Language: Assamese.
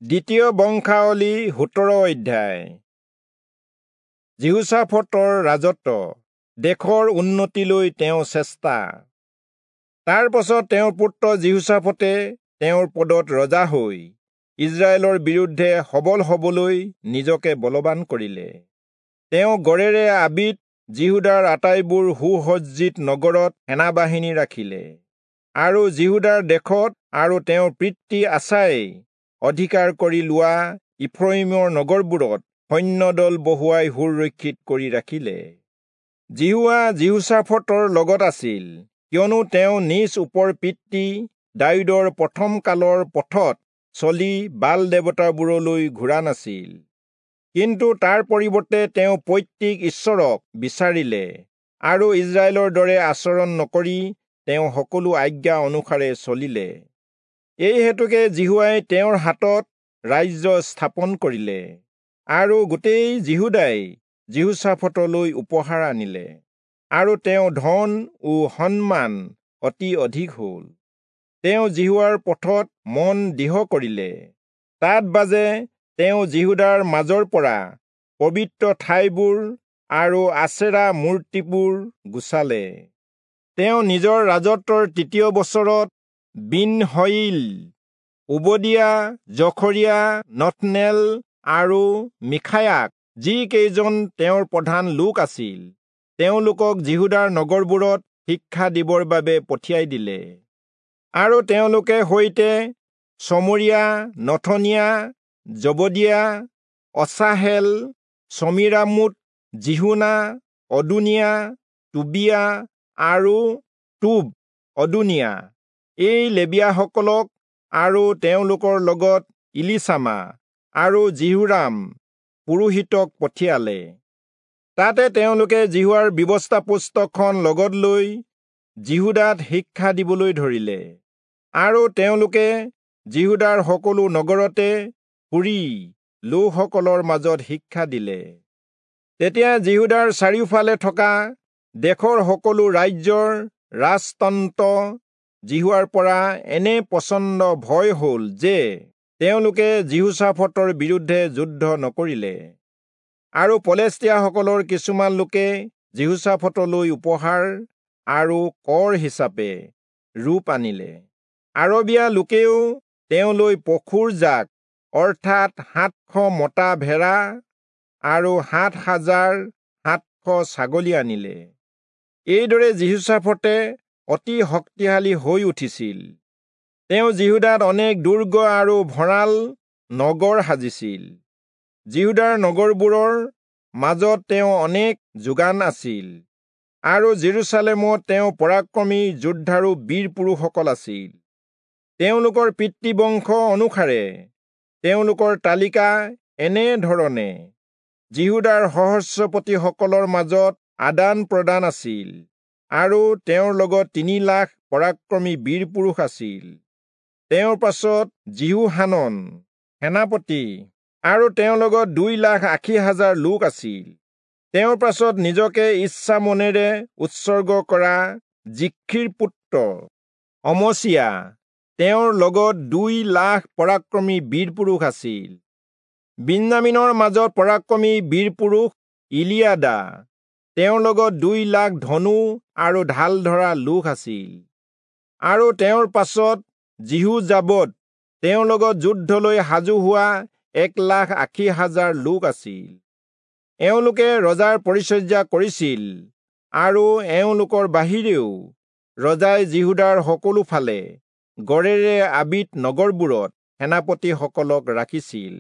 দ্বিতীয় বংশাৱলী 17 অধ্যায়। যিহোচাফটৰ ৰাজত্ব, দেশৰ উন্নতিলৈ তেওঁ চেষ্টা। তাৰ পাছত তেওঁৰ পুত্ৰ যিহোচাফটে তেওঁৰ পদত ৰজা হৈ ইজৰাইলৰ বিৰুদ্ধে সবল হবলৈ নিজকে বলৱান কৰিলে। তেওঁ গড়েৰে আবিত যিহূদাৰ আটাইবোৰ সুসজ্জিত নগৰত সেনাবাহিনী ৰাখিলে আৰু যিহূদাৰ দেশত আৰু তেওঁৰ পিতৃ আচাই অধিকাৰ কৰি লোৱা ইফ্ৰয়িমৰ নগৰবোৰত সৈন্যদল বহুৱাই সুৰক্ষিত কৰি ৰাখিলে। যিহোৱা যিহোচাফটৰ লগত আছিল, কিয়নো তেওঁ নিজ ওপৰ পিতৃ দায়ূদৰ প্ৰথম কালৰ পথত চলি বাল দেৱতাবোৰলৈ ঘূৰা নাছিল, কিন্তু তাৰ পৰিৱৰ্তে তেওঁ পৈতৃক ঈশ্বৰক বিচাৰিলে আৰু ইজৰাইলৰ দৰে আচৰণ নকৰি তেওঁ সকলো আজ্ঞা অনুসাৰে চলিলে। এই হেতুকে যিহোৱাই তেওঁৰ হাতত ৰাজ্য স্থাপন কৰিলে আৰু গোটেই যিহূদাই যিহোচাফটলৈ উপহাৰ আনিলে আৰু তেওঁ ধন ও সন্মান অতি অধিক হ'ল। তেওঁ যিহোৱাৰ পথত মন দৃঢ় কৰিলে। তাত বাজে তেওঁ যিহূদাৰ মাজৰ পৰা পবিত্ৰ ঠাইবোৰ আৰু আচেৰা মূৰ্তিবোৰ গুচালে। তেওঁ নিজৰ ৰাজত্বৰ তৃতীয় বছৰত বিন-হয়িল, ওবদিয়া, জখৰিয়া, নথনেল আৰু মিখায়াক, যিকেইজন তেওঁৰ প্ৰধান লোক আছিল, তেওঁলোকক যিহূদাৰ নগৰবোৰত শিক্ষা দিবৰ বাবে পঠিয়াই দিলে। আৰু তেওঁলোকে সৈতে চমৰীয়া, নথনীয়া, জবদিয়া, অচাহেল, চমীৰামোত, যিহূনা, অদোনিয়া, টোবিয়া আৰু টোব অদোনিয়া এই লেবীয়াসকলক আৰু তেওঁলোকৰ লগত ইলিচামা আৰু যিহোৰাম পুৰোহিতক পঠিয়ালে। তাতে তেওঁলোকে যিহোৱাৰ ব্যৱস্থা পুস্তকখন লগত লৈ যিহূদাত শিক্ষা দিবলৈ ধৰিলে আৰু তেওঁলোকে যিহূদাৰ সকলো নগৰতে ফুৰি লোকসকলৰ মাজত শিক্ষা দিলে। তেতিয়া যিহূদাৰ চাৰিওফালে থকা দেশৰ সকলো ৰাজ্যৰ ৰাজতন্ত্ৰ যিহোৱাৰ পৰা এনে প্ৰচণ্ড ভয় হ'ল যে তেওঁলোকে যিহোচাফটৰ বিৰুদ্ধে যুদ্ধ নকৰিলে। আৰু পলেষ্টীয়াসকলৰ কিছুমান লোকে যিহোচাফটলৈ উপহাৰ আৰু কৰ হিচাপে ৰূপ আনিলে। আৰবীয়া লোকেও তেওঁলৈ পশুৰ জাক অৰ্থাৎ 700 মতা ভেড়া আৰু 7,700 ছাগলী আনিলে। এইদৰে যিহোচাফটে অতি শক্তিশালী হৈ উঠিছিল। তেওঁ যিহূদাত অনেক দুৰ্গ আৰু ভঁৰাল নগৰ সাজিছিল। যিহূদাৰ নগৰবোৰৰ মাজত তেওঁ অনেক যোগান আছিল আৰু জেৰুচালেমত তেওঁ পৰাক্ৰমী যোদ্ধাৰু বীৰ পুৰুষসকল আছিল। তেওঁলোকৰ পিতৃবংশ অনুসাৰে তেওঁলোকৰ তালিকা এনে ধৰণে যিহূদাৰ সহস্ৰপতিসকলৰ মাজত আদান প্ৰদান আছিল আৰু তেওঁৰ লগত 3 লাখ পৰাক্ৰমী বীৰ পুৰুষ আছিল। তেওঁৰ পাছত যিহোহানন সেনাপতি আৰু তেওঁৰ লগত 2,80,000 লোক আছিল। তেওঁৰ পাছত নিজকে ইচ্ছা মনেৰে উৎসৰ্গ কৰা জিখ্ৰীৰ পুত্ৰ অমচিয়া, তেওঁৰ লগত 2 লাখ পৰাক্ৰমী বীৰ পুৰুষ আছিল। বিন্যামীনৰ মাজত পৰাক্ৰমী বীৰ পুৰুষ ইলিয়াদা, তেওঁৰ লগত 2 লাখ ধনু আৰু ঢাল ধৰা লোক আছিল। আৰু তেওঁৰ পাছত যিহোজাবদ, তেওঁৰ লগত যুদ্ধলৈ সাজু হোৱা 1,80,000 লোক আছিল। এওঁলোকে ৰজাৰ পৰিচৰ্যা কৰিছিল আৰু এওঁলোকৰ বাহিৰেও ৰজাই যিহূদাৰ সকলো ফালে গড়েৰে আবিত নগৰবোৰত সেনাপতিসকলক ৰাখিছিল।